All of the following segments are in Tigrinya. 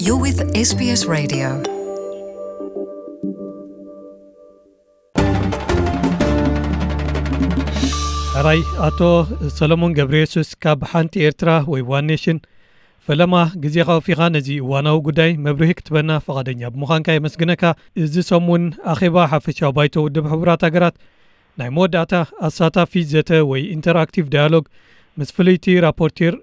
You're with S B S Radio. ሕራይ ኣቶ ሰሎሞን ገብረ የሱስ ካብ ሓንቲ ኤርትራ ወይ ዋን ኔሽን፣ ፈለማ ግዜኻ ወፊኻ ነዚ እዋናዊ ጉዳይ መብርሂ ክትበና ፈቓደኛ ብምዃንካ የመስግነካ። እዚ ሰሙን ኣኼባ ሓፈሻዊ ባይቶ ውድብ ሕቡራት ሃገራት ናይ መወዳእታ ኣሳታፊ ዘተ ወይ ኢንተርኣክቲቭ ዳያሎግ ምስ ፍልይቲ ራፖርቲር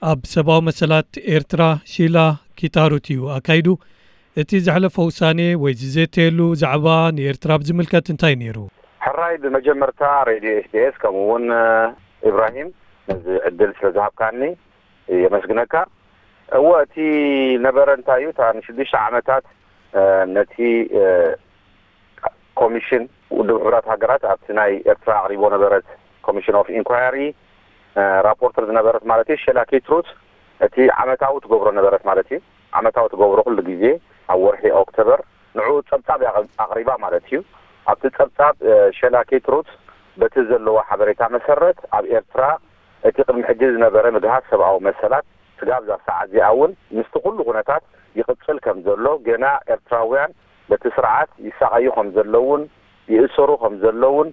ኣብ ሰብኣዊ መሰላት ኤርትራ ሺላ ኪታሩት እዩ ኣካይዱ። እቲ ዘሕለፎ ውሳኔ ወይ ዝዘተየሉ ዛዕባ ንኤርትራ ብዝምልከት እንታይ ነይሩ? ሕራይ፣ ብመጀመርታ ሬድዮ ኤስቢኤስ ከምኡ እውን ኢብራሂም ነዚ ዕድል ስለ ዝሃብካኒ የመስግነካ። እወ፣ እቲ ነበረ እንታይ እዩ? እታ ንሽዱሽተ ዓመታት ነቲ ኮሚሽን ውድብ ሕቡራት ሃገራት ኣብቲ ናይ ኤርትራ ኣቕሪቦ ነበረት፣ ኮሚሽን ኦፍ ኢንኳየሪ ራፖርተር ዝነበረት ማለት እዩ፣ ሸላ ኪትሩት፣ እቲ ዓመታዊ ትገብሮ ነበረት ማለት እዩ። ዓመታዊ ትገብሮ ኩሉ ግዜ ኣብ ወርሒ ኦክቶበር ንዑ ጸብጻብ ኣቕሪባ ማለት እዩ። ኣብቲ ጸብጻብ ሸላ ኪትሩት በቲ ዘለዎ ሓበሬታ መሰረት ኣብ ኤርትራ እቲ ቅድሚ ሕጂ ዝነበረ ምግሃስ ሰብኣዊ መሰላት ስጋብ እዛ ሰዓት እዚኣ እውን ምስቲ ኩሉ ኩነታት ይቕጽል ከም ዘሎ፣ ገና ኤርትራውያን በቲ ስርዓት ይሳቐዩ ከም ዘለውን ይእሰሩ ከም ዘለውን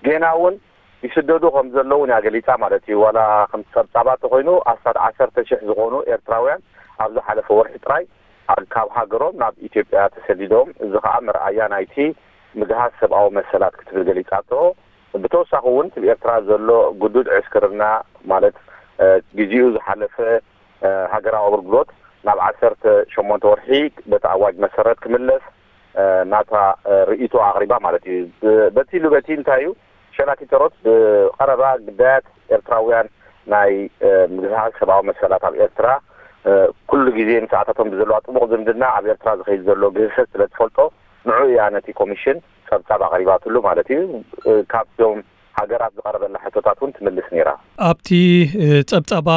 ገና እውን ይስደዱ ከም ዘለውን እያ ገሊጻ ማለት እዩ። ዋላ ከም ጸብጻባ ተኾይኑ ኣስታት ዓሰርተ ሽሕ ዝኾኑ ኤርትራውያን ኣብ ዝሓለፈ ወርሒ ጥራይ ካብ ሃገሮም ናብ ኢትዮጵያ ተሰዲዶም፣ እዚ ኸኣ መርኣያ ናይቲ ምግሃስ ሰብኣዊ መሰላት ክትብል ገሊጻቶ። ብተወሳኺ እውን እቲ ኤርትራ ዘሎ ግዱድ ዕስክርና ማለት ግዜኡ ዝሓለፈ ሃገራዊ ኣገልግሎት ናብ ዓሰርተ ሸሞንተ ወርሒ በቲ ኣዋጅ መሰረት ክምለስ ናታ ርእይቶ ኣቕሪባ ማለት እዩ። በቲ ኢሉ በቲ እንታይ እዩ፣ ሸላኪተሮት ብቐረባ ግዳያት ኤርትራውያን ናይ ምግሃስ ሰብኣዊ መሰላት ኣብ ኤርትራ ኩሉ ግዜ ምስኣታቶም ብዘለዋ ጥቡቕ ዝምድና ኣብ ኤርትራ ዝኸይድ ዘሎ ግህሰት ስለ ትፈልጦ ንዑ እያ ነቲ ኮሚሽን ጸብጻብ ኣቕሪባትሉ ማለት እዩ። ካብቶም ሃገራት ዝቐረበላ ሕቶታት እውን ትምልስ ነይራ። ኣብቲ ጸብጻባ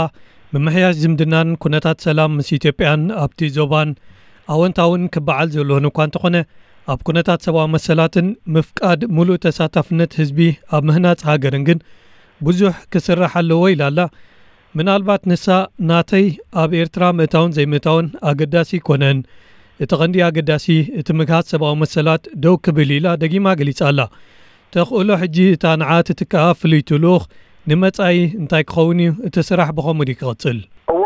ምምሕያሽ ዝምድናን ኩነታት ሰላም ምስ ኢትዮጵያን ኣብቲ ዞባን ኣወንታውን ክበዓል ዘለዎን እኳ እንተኾነ፣ ኣብ ኩነታት ሰብኣዊ መሰላትን ምፍቃድ ሙሉእ ተሳታፍነት ህዝቢ ኣብ ምህናጽ ሃገርን ግን ብዙሕ ክስራሕ ኣለዎ ኢላ ኣላ። ምናልባት ንሳ ናተይ ኣብ ኤርትራ ምእታውን ዘይምእታውን ኣገዳሲ ኣይኮነን። እቲ ቀንዲ ኣገዳሲ እቲ ምግሃስ ሰብኣዊ መሰላት ደው ክብል ኢላ ደጊማ ገሊጻ ኣላ። ተኽእሎ ሕጂ እታ ንዓ ትትክኣ ፍልይቲ ልኡኽ ንመጻኢ እንታይ ክኸውን እዩ? እቲ ስራሕ ብኸምኡ ድዩ ክቕጽል? እወ፣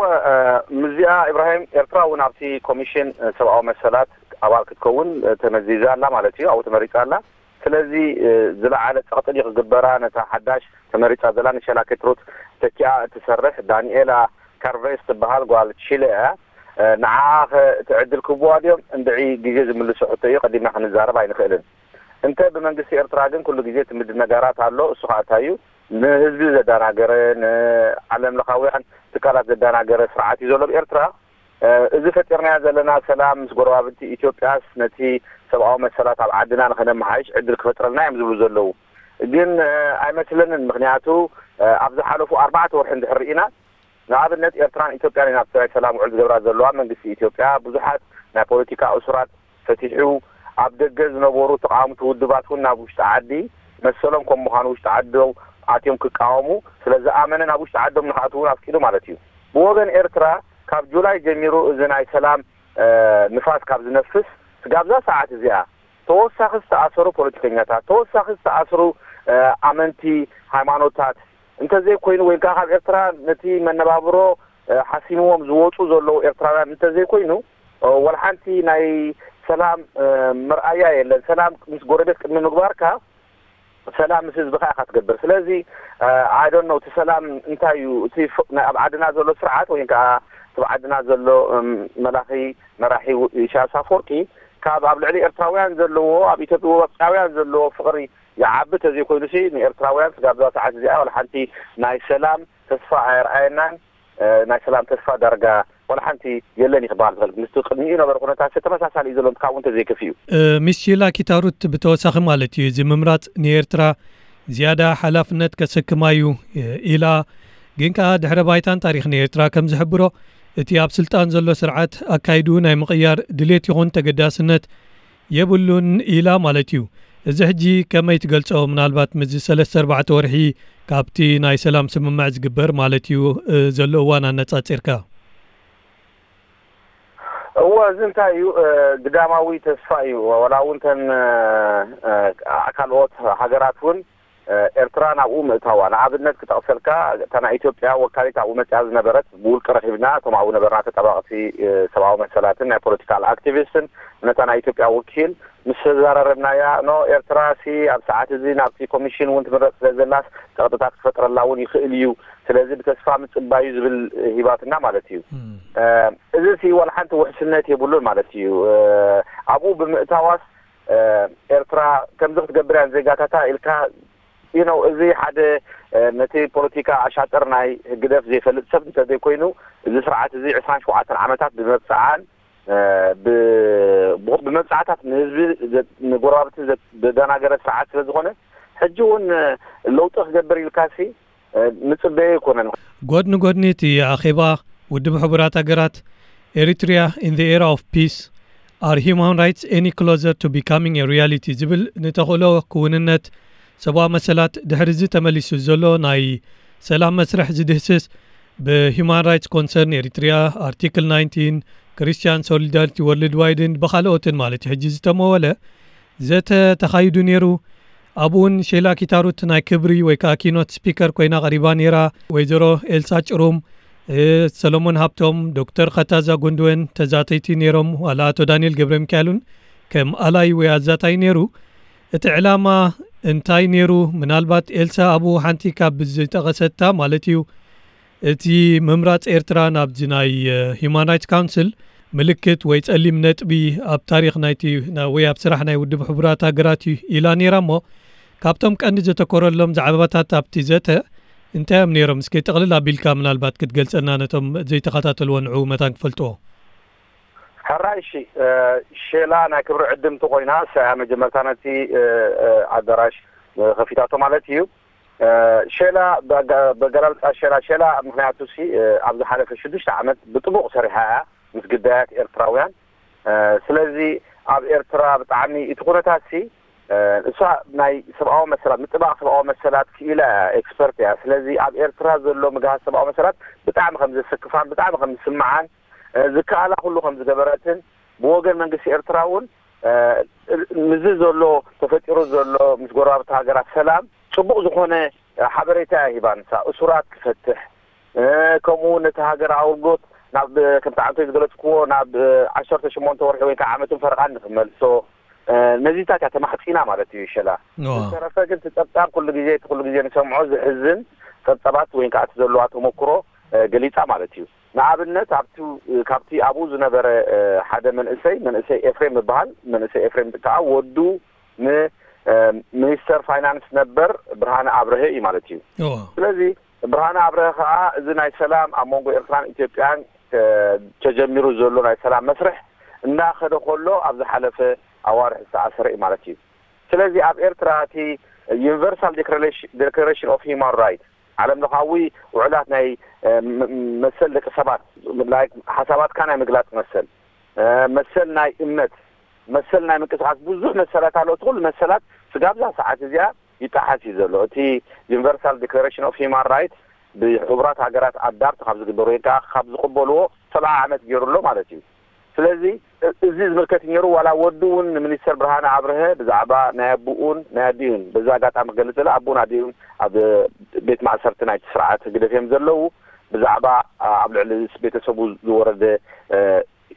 ምስዚኣ ኢብራሂም፣ ኤርትራ እውን ኣብቲ ኮሚሽን ሰብኣዊ መሰላት ኣባል ክትከውን ተመዚዛ ኣላ ማለት እዩ፣ ኣብኡ ተመሪጻ ኣላ። ስለዚ ዝለዓለ ጸቕጢ ድዩ ክግበራ ነታ ሓዳሽ ተመሪጻ ዘላ ንሸላ ኬትሩት ተኪኣ እትሰርሕ ዳንኤላ ካርቬስ ትበሃል ጓል ቺለ እያ። ንዓኣ ኸ እቲ ዕድል ክህብዋ ድዮም? እንድዒ ግዜ ዝምልሶ ሕቶ እዩ፣ ቀዲምና ክንዛረብ ኣይንኽእልን። እንተ ብመንግስቲ ኤርትራ ግን ኩሉ ግዜ እቲ ምድንጋራት ኣሎ። እሱ ኸኣ እንታይ እዩ? ንህዝቢ ዘደናገረ፣ ንዓለም ለኻውያን ትካላት ዘደናገረ ስርዓት እዩ ዘሎ ኣብ ኤርትራ። እዚ ፈጢርናዮ ዘለና ሰላም ምስ ጎረባብቲ ኢትዮጵያስ ነቲ ሰብኣዊ መሰላት ኣብ ዓድና ንኸነመሓይሽ ዕድል ክፈጥረልና እዮም ዝብሉ ዘለዉ። ግን ኣይመስለንን። ምኽንያቱ ኣብ ዝሓለፉ ኣርባዕተ ወርሒ እንድሕር ርኢና፣ ንኣብነት ኤርትራን ኢትዮጵያን እየን ኣብቲ ናይ ሰላም ውዕል ዝገብራ ዘለዋ። መንግስቲ ኢትዮጵያ ብዙሓት ናይ ፖለቲካ እሱራት ፈቲሑ፣ ኣብ ደገ ዝነበሩ ተቓወምቲ ውድባት እውን ናብ ውሽጢ ዓዲ መሰሎም ከም ምዃኑ ውሽጢ ዓዶም ኣትዮም ክቃወሙ ስለ ዝኣመነ ናብ ውሽጢ ዓዶም ንኽኣትዉ እውን ኣፍቂዱ ማለት እዩ። ብወገን ኤርትራ ካብ ጁላይ ጀሚሩ እዚ ናይ ሰላም ንፋስ ካብ ዝነፍስ ስጋብ እዛ ሰዓት እዚኣ ተወሳኺ ዝተኣሰሩ ፖለቲከኛታት፣ ተወሳኺ ዝተኣስሩ ኣመንቲ ሃይማኖታት እንተዘይኮይኑ፣ ወይ ከዓ ካብ ኤርትራ ነቲ መነባብሮ ሓሲምዎም ዝወፁ ዘለዉ ኤርትራውያን እንተዘይኮይኑ፣ ወላ ሓንቲ ናይ ሰላም መርኣያ የለን። ሰላም ምስ ጎረቤት ቅድሚ ምግባርካ ሰላም ምስ ህዝብኻ ኢኻ ትገብር። ስለዚ ኣይ ዶንት ኖው እቲ ሰላም እንታይ እዩ? እቲ ኣብ ዓድና ዘሎ ስርዓት ወይ ከዓ እቲ ኣብ ዓድና ዘሎ መላኺ መራሒ ኢሳያስ ኣፈወርቂ ካብ ኣብ ልዕሊ ኤርትራውያን ዘለዎ፣ ኣብ ኢትዮጵያውያን ዘለዎ ፍቕሪ ይዓቢ ተዘይኮይኑሲ ንኤርትራውያን ስጋብ እዛ ሰዓት እዚኣ ዋላ ሓንቲ ናይ ሰላም ተስፋ ኣየርኣየናን። ናይ ሰላም ተስፋ ዳርጋ ዋላ ሓንቲ የለን እዩ ክበሃል ዝኽእል። ምስቲ ቅድሚኡ ነበረ ኩነታት ተመሳሳሊ እዩ ዘሎ፣ ካብኡ እንተዘይከፊኡ። ሚስ ሺላ ኪታሩት ብተወሳኺ ማለት እዩ፣ እዚ ምምራጽ ንኤርትራ ዝያዳ ሓላፍነት ከሰክማ እዩ ኢላ። ግን ከኣ ድሕረ ባይታን ታሪኽን ኤርትራ ከም ዝሕብሮ፣ እቲ ኣብ ስልጣን ዘሎ ስርዓት ኣካይድኡ ናይ ምቕያር ድሌት ይኹን ተገዳስነት የብሉን ኢላ ማለት እዩ። እዚ ሕጂ ከመይ ትገልጾ? ምናልባት ምስዚ ሰለስተ ኣርባዕተ ወርሒ ካብቲ ናይ ሰላም ስምምዕ ዝግበር ማለት እዩ ዘሎ እዋን ኣነጻጺርካ። እወ፣ እዚ እንታይ እዩ? እ፣ ግዳማዊ ተስፋ እዩ። ዋላ እውን ተን፣ እ፣ እ፣ ካልኦት ሃገራት እውን፣ እ፣ ኤርትራ ናብኡ ምእታዋ። ንኣብነት ክጠቕሰልካ፣ እታ ናይ ኢትዮጵያ ወካሊት ኣብኡ መጽያ ዝነበረት፣ ብውልቂ ረኺብና፣ እቶም ኣብኡ ነበርና ተጣባቕቲ፣ እ፣ ሰብኣዊ መሰላትን ናይ ፖለቲካል ኣክቲቪስትን፣ ነታ ናይ ኢትዮጵያ ወኪል ምስ ተዘራረብናያ፣ ኖ፣ ኤርትራ ሲ ኣብ ሰዓት እዚ ናብቲ ኮሚሽን እውን ትምረጽ ስለ ዘላስ፣ ጸቕጥታት ክፈጥረላ እውን ይኽእል እዩ። ስለዚ ብተስፋ ምጽባዩ ዝብል ሂባትና ማለት እዩ። እም። እ፣ እዚ ሲ ዋላ ሓንቲ ውሕስነት የብሉን ማለት እዩ። እ፣ ኣብኡ ብምእታዋስ፣ እ፣ ኤርትራ ከምዚ ክትገብር እያን ዜጋታታ ኢልካ፣ you know፣ እዚ ሓደ፣ እ፣ ነቲ ፖለቲካ ኣሻጥር ናይ ህግደፍ ዘይፈልጥ ሰብ እንተዘይኮይኑ፣ እዚ ስርዓት እዚ ዕስራን ሸውዓተን ዓመታት ብመብጽዓን፣ እ፣ ብ-፣ ብ-፣ ብመብጽዓታት ንህዝቢ ዘ-፣ ንጎረባብቲ ዘ-፣ ዘደናገረ ስርዓት ስለ ዝኾነ፣ ሕጂ እውን፣ እ፣ ለውጢ ክገብር ኢልካሲ፣ እ፣ ንጽበዮ ኣይኮነን። ጎድኒ ጎድኒ እቲ ኣኼባ፣ ውድብ ሕቡራት ሃገራት፣ Eritrea in the era of peace, are human rights any closer to becoming a reality ዝብል ንተኽእሎ ክውንነት ሰብኣዊ መሰላት ድሕሪ እዚ ተመሊሱ ዘሎ ናይ ሰላም መስርሕ ዝድህስስ፣ ብሂማን ራይትስ ኮንሰርን ኤሪትሪያ፣ ኣርቲክል ናይንቲን፣ ክርስቲያን ሶሊዳሪቲ ወርልድ ዋይድን ብኻልኦትን ማለት እዩ ሕጂ ዝተመወለ ዘተ ተኻይዱ ነይሩ። ኣብኡን ሼላ ኪታሩት ናይ ክብሪ ወይ ከዓ ኪኖት ስፒከር ኮይና ቀሪባ ነይራ። ወይዘሮ ኤልሳ ጭሩም፣ እ፣ ሰሎሞን ሃብቶም፣ ዶክተር ኸታዛ ጉንድወን ተዛተይቲ ነይሮም። ዋላ ኣቶ ዳንኤል ገብረ ሚካኤል እውን ከም ኣላይ ወይ ኣዛታይ ነይሩ። እቲ ዕላማ እንታይ ነይሩ? ምናልባት ኤልሳ ኣብኡ ሓንቲ ካብ ዝጠቐሰታ ማለት እዩ፣ እቲ ምምራጽ ኤርትራ ናብዚ ናይ፣ እ፣ ሂማን ራይትስ ካውንስል ምልክት ወይ ጸሊም ነጥቢ ኣብ ታሪኽ ናይቲ ና-፣ ወይ ኣብ ስራሕ ናይ ውድብ ሕቡራት ሃገራት እዩ ኢላ ነይራ እሞ፣ ካብቶም ቀንዲ ዘተኮረሎም ዛዕባታት ኣብቲ ዘተ እንታይ እዮም ነይሮም? እስኪ ጥቕልል ኣቢልካ ምናልባት ክትገልጸልና ነቶም ዘይተኸታተልዎ ንዕኡ መታን ክፈልጥዎ። ሕራይ፣ እሺ፣ እ፣ ሼላ ናይ ክብሪ ዕድምቲ ኮይና፣ እሳ እያ መጀመርታ ነቲ፣ እ፣ እ፣ ኣዳራሽ፣ እ፣ ከፊታቶ ማለት እዩ። እ፣ ሼላ፣ በጋ-፣ በገላልጻ ሼላ፣ ሼላ፣ ምኽንያቱ ሲ፣ እ፣ ኣብ ዝሓለፈ ሽዱሽተ ዓመት ብጥቡቕ ሰሪሓ እያ ምስ ግዳያት ኤርትራውያን። እ፣ ስለዚ ኣብ ኤርትራ ብጣዕሚ እቲ ኩነታት ሲ፣ እ፣ እሳ ናይ ሰብኣዊ መሰላት፣ ምጥባቕ ሰብኣዊ መሰላት ክኢላ እያ፣ ኤክስፐርት እያ። ስለዚ ኣብ ኤርትራ ዘሎ ምግሃስ ሰብኣዊ መሰላት ብጣዕሚ ከም ዘሰክፋን ብጣዕሚ ከም ዝስምዓን፣ እ፣ ዝከኣላ ኩሉ ከም ዝገበረትን፣ ብወገን መንግስቲ ኤርትራ እውን፣ እ፣ ምዚ ዘሎ፣ ተፈጢሩ ዘሎ ምስ ጎረባብቲ ሃገራት ሰላም ጽቡቕ ዝኾነ፣ እ፣ ሓበሬታ እያ ሂባ። ንሳ እሱራት ክፈትሕ፣ እ፣ ከምኡ እውን ነቲ ሃገር ኣውርጎት ናብ፣ ከምቲ ዓንቶይ ዝገለጽክዎ፣ ናብ፣ እ፣ ዓሰርተ ሸሞንተ ወርሒ ወይ ከዓ ዓመትን ፈረቓን ንክመልሶ፣ እ፣ ነዚታት እያ ተማሕጺና ማለት እዩ ሸላ። እዋ። ዝተረፈ ግን እቲ ጸብጻብ ኩሉ ግዜ፣ እቲ ኩሉ ግዜ ንሰምዖ ዘሕዝን ጸብጻባት ወይ ከዓ እቲ ዘለዋ ተመክሮ፣ እ፣ ገሊጻ ማለት እዩ። ንኣብነት ኣብቲ፣ ካብቲ ኣብኡ ዝነበረ፣ እ፣ ሓደ መንእሰይ፣ መንእሰይ ኤፍሬም ይበሃል። መንእሰይ ኤፍሬም ከዓ ወዱ ን፣ እ፣ ሚኒስተር ፋይናንስ ነበር ብርሃነ ኣብርሀ እዩ ማለት እዩ። እዋ። ስለዚ ብርሃነ ኣብርሀ ከዓ እዚ ናይ ሰላም ኣብ መንጎ ኤርትራን ኢትዮጵያን፣ እ፣ ተጀሚሩ ዘሎ ናይ ሰላም መስርሕ እናኸደ ከሎ ኣብ ዝሓለፈ ኣዋርሕ ዝተኣሰረ እዩ ማለት እዩ። ስለዚ ኣብ ኤርትራ እቲ ዩኒቨርሳል ዲክላሬሽን ኦፍ ሂማን ራይት፣ ዓለም ለኻዊ ውዕላት ናይ፣ እ፣ ም-፣ መሰል ደቂ ሰባት፣ like ሓሳባትካ ናይ ምግላጽ መሰል፣ እ፣ መሰል ናይ እምነት፣ መሰል ናይ ምንቅስቃስ፣ ብዙሕ መሰላት ኣሎ። እቲ ኩሉ መሰላት ስጋብ እዛ ሰዓት እዚኣ ይጠሓስ እዩ ዘሎ። እቲ ዩኒቨርሳል ዲክላሬሽን ኦፍ ሂማን ራይት ብሕቡራት ሃገራት ኣዳፕት ካብ ዝግበሩ ወይ ከዓ ካብ ዝቕበልዎ ሰብዓ ዓመት ገይሩ ኣሎ ማለት እዩ። ስለዚ እ-፣ እዚ ዝምልከት ነይሩ። ዋላ ወዱ እውን ንሚኒስተር ብርሃነ ኣብርሀ ብዛዕባ ናይ ኣቦኡን ናይ ኣዲኡን፣ በዚ ኣጋጣሚ ክገልጽ፣ ኣቦኡን ኣዲኡን ኣብ ቤት ማእሰርቲ ናይቲ ስርዓት ህግደፍ እዮም ዘለዉ። ብዛዕባ፣ ኣ፣ ኣብ ልዕሊ ቤተሰቡ ዝወረደ፣ እ፣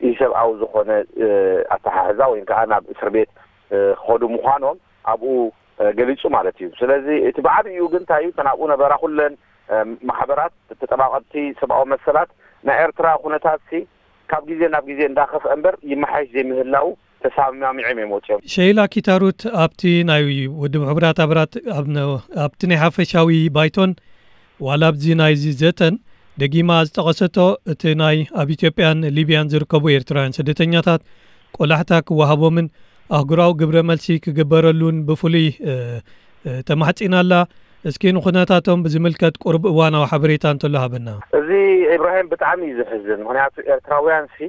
ኢሰብኣዊ ዝኾነ፣ እ፣ ኣተሓሕዛ ወይ ከዓ ናብ እስር ቤት፣ እ፣ ክኸዱ ምዃኖም ኣብኡ፣ እ፣ ገሊጹ ማለት እዩ። ስለዚ እቲ ብዓብይኡ ግን እንታይ እዩ፣ እተን ኣብኡ ነበራ ኩለን፣ እ፣ ማሕበራት ተጠባቐጥቲ ሰብኣዊ መሰላት ናይ ኤርትራ ኩነታት ሲ ካብ ግዜ ናብ ግዜ እንዳኸፍአ እምበር ይመሓየሽ ዘይምህላው ተሰማሚዖም እዮም ወፂኦም። ሸይላ ኪታሩት ኣብቲ ናይ ውድብ ሕቡራት ሃገራት ኣብ ነ-፣ ኣብቲ ናይ ሓፈሻዊ ባይቶን ዋላ ኣብዚ ናይዚ ዘተን ደጊማ ዝጠቐሰቶ እቲ ናይ ኣብ ኢትዮጵያን ሊብያን ዝርከቡ ኤርትራውያን ስደተኛታት ቆላሕታ ክወሃቦምን ኣህጉራዊ ግብረ መልሲ ክግበረሉን ብፍሉይ፣ እ፣ እ፣ ተማሕጺና ኣላ። እስኪ ንኹነታቶም ብዝምልከት ቁሩብ እዋናዊ ሓበሬታ እንተሎ ሃበና። እዚ ኢብራሂም ብጣዕሚ እዩ ዘሕዝን። ምኽንያቱ ኤርትራውያን ሲ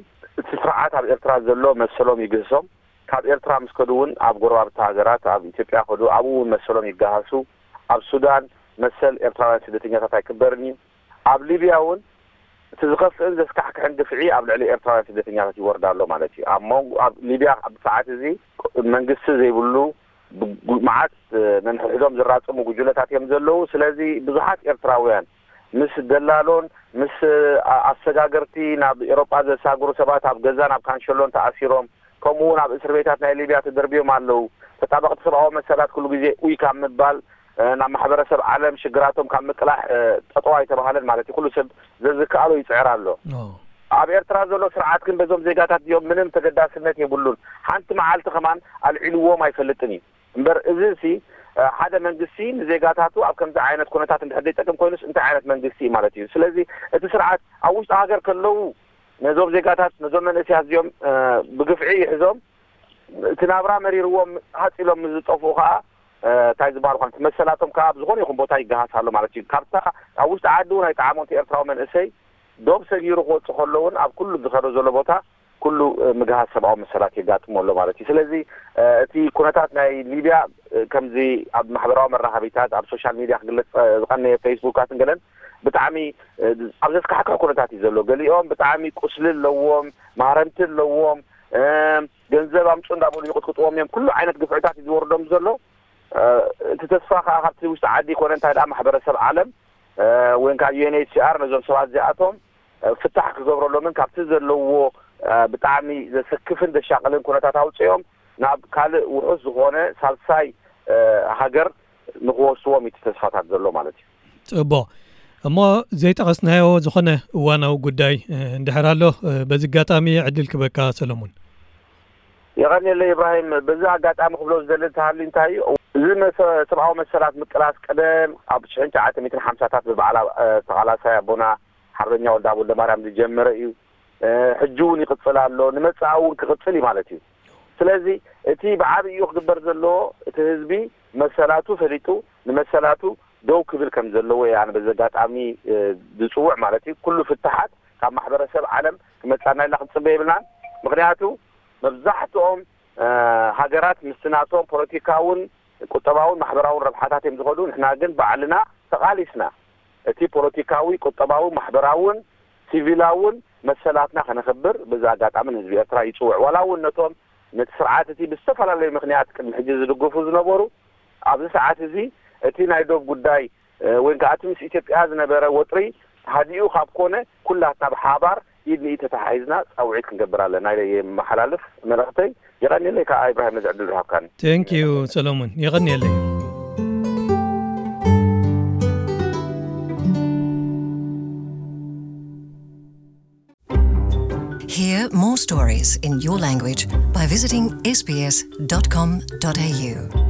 እቲ ስርዓት ኣብ ኤርትራ ዘሎ መሰሎም ይግህሶም። ካብ ኤርትራ ምስ ከዱ እውን ኣብ ጎረባብቲ ሃገራት፣ ኣብ ኢትዮጵያ ከዱ ኣብኡ እውን መሰሎም ይገሃሱ። ኣብ ሱዳን መሰል ኤርትራውያን ስደተኛታት ኣይክበርን እዩ። ኣብ ሊብያ እውን እቲ ዝኸፍእን ዘስካሕክሕን ግፍዒ ኣብ ልዕሊ ኤርትራውያን ስደተኛታት ይወርድ ኣሎ ማለት እዩ። ኣብ መንጎ ኣብ ሊብያ ኣብ ሰዓት እዚ መንግስቲ ዘይብሉ ብጉ- መዓት ነንሕድሕዶም ዝራጸሙ ጉጅለታት እዮም ዘለዉ። ስለዚ ብዙሓት ኤርትራውያን ምስ ደላሎን ምስ ኣ- ኣሰጋገርቲ ናብ ኤሮጳ ዘሳግሩ ሰባት ኣብ ገዛን ኣብ ካንሸሎን ተኣሲሮም፣ ከምኡ እውን ኣብ እስር ቤታት ናይ ሊብያ ተደርብዮም ኣለዉ። ተጣበቕቲ ሰብኣዊ መሰላት ኩሉ ግዜ ኡይ ካብ ምባል ናብ ማሕበረሰብ ዓለም ሽግራቶም ካብ ምቅላሕ ጠጠው ኣይተባሃለን ማለት እዩ። ኩሉ ሰብ ዘዝከኣሎ ይፅዕር ኣሎ። ኣብ ኤርትራ ዘሎ ስርዓት ግን በዞም ዜጋታት እዚኦም ምንም ተገዳስነት የብሉን። ሓንቲ መዓልቲ ከማን ኣልዒልዎም ኣይፈልጥን እዩ። እምበር እዚ ሲ ሓደ መንግስቲ ንዜጋታቱ ኣብ ከምዚ ዓይነት ኩነታት እንድሕር ዘይጠቅም ኮይኑስ እንታይ ዓይነት መንግስቲ እዩ ማለት እዩ? ስለዚ እቲ ስርዓት ኣብ ውሽጢ ሃገር ከለዉ ነዞም ዜጋታት ነዞም መንእሰያት እዚኦም ብግፍዒ ይሕዞም እቲ ናብራ መሪርዎም ሃፅ ኢሎም ምስ ዝጠፍኡ ከዓ እንታይ ዝበሃል ኳን መሰላቶም ከዓ ኣብ ዝኾነ ይኹን ቦታ ይገሃስ ኣሎ ማለት እዩ። ካብታ ኣብ ውሽጢ ዓዲ እውን ኣይጠዓሞም እቲ ኤርትራዊ መንእሰይ ዶብ ሰጊሩ ክወፅእ ከሎ እውን ኣብ ኩሉ ዝኸዶ ዘሎ ቦታ ኩሉ ምግሃስ ሰብኣዊ መሰላት የጋጥሞ ኣሎ ማለት እዩ። ስለዚ እቲ ኩነታት ናይ ሊብያ ከምዚ ኣብ ማሕበራዊ መራኸቢታት ኣብ ሶሻል ሚድያ ክግለፅ ዝቀነየ ፌስቡካትን ገለን ብጣዕሚ ኣብ ዘስካሕክሕ ኩነታት እዩ ዘሎ። ገሊኦም ብጣዕሚ ቁስሊ ኣለዎም፣ ማህረምቲ ኣለዎም፣ ገንዘብ ኣምፁ እንዳበሉ ይቕጥቅጥዎም እዮም። ኩሉ ዓይነት ግፍዕታት እዩ ዝወርዶም ዘሎ። እቲ ተስፋ ከዓ ካብቲ ውሽጢ ዓዲ ይኮነ እንታይ ደኣ ማሕበረሰብ ዓለም ወይ ከዓ ዩ ኤን ኤች ሲ ኣር ነዞም ሰባት እዚኣቶም ፍታሕ ክገብረሎምን ካብቲ ዘለዎ ብጣዕሚ ዘሰክፍን ዘሻቅልን ኩነታት ኣውፅኦም ናብ ካልእ ውሑስ ዝኾነ ሳልሳይ ሃገር ንክወስዎም እዩ እቲ ተስፋታት ዘሎ ማለት እዩ። ፅቡቕ። እሞ ዘይጠቐስናዮ ዝኾነ እዋናዊ ጉዳይ እንድሕር ኣሎ በዚ ኣጋጣሚ ዕድል ክበካ ሰለሙን። የቐንየለ ኢብራሂም። በዚ ኣጋጣሚ ክብሎ ዝደሊ እንተሃልዩ እንታይ እዩ፣ እዚ መሰ- ሰብኣዊ መሰላት ምቅላስ ቀደም ኣብ ሽሕን ትሽዓተ ሚእትን ሓምሳታት ብበዓል ተቓላሳይ ኣቦና ሓርበኛ ወልደኣብ ወልደማርያም ዝጀመረ እዩ። ሕጂ እውን ይቕፅል ኣሎ፣ ንመፃኢ እውን ክቕፅል እዩ ማለት እዩ። ስለዚ እቲ ብዓብይኡ ክግበር ዘለዎ እቲ ህዝቢ መሰላቱ ፈሊጡ ንመሰላቱ ደው ክብል ከም ዘለዎ እየ ኣነ በዚ ኣጋጣሚ ዝፅውዕ ማለት እዩ። ኩሉ ፍትሓት ካብ ማሕበረሰብ ዓለም ክመፃና ኢልና ክንፅበ የብልናን። ምክንያቱ መብዛሕትኦም ሃገራት ምስቲ ናቶም ፖለቲካውን ቁጠባውን ማሕበራውን ረብሓታት እዮም ዝኸዱ። ንሕና ግን ባዕልና ተቓሊስና እቲ ፖለቲካዊ፣ ቁጠባዊ፣ ማሕበራውን ሲቪላውን መሰላትና ከነኽብር በዚ ኣጋጣሚ ንህዝቢ ኤርትራ ይፅውዕ። ዋላ እውን ነቶም ነቲ ስርዓት እቲ ብዝተፈላለዩ ምክንያት ቅድሚ ሕጂ ዝድግፉ ዝነበሩ ኣብዚ ሰዓት እዚ እቲ ናይ ዶብ ጉዳይ ወይ ከዓ እቲ ምስ ኢትዮጵያ ዝነበረ ወጥሪ ሃዲኡ ካብ ኮነ ኩላትና ብሓባር ኢድ ንኢድ ተተሓሒዝና ፃውዒት ክንገብር ኣለና ኢለ የመሓላልፍ መልእኽተይ። የቐንየለይ ከዓ ኢብራሂም ነዚ ዕድል ዝሃብካኒ። Thank you ሰለሙን፣ የቐንየለይ። Hear more stories in your language by visiting S B S dot com dot A U.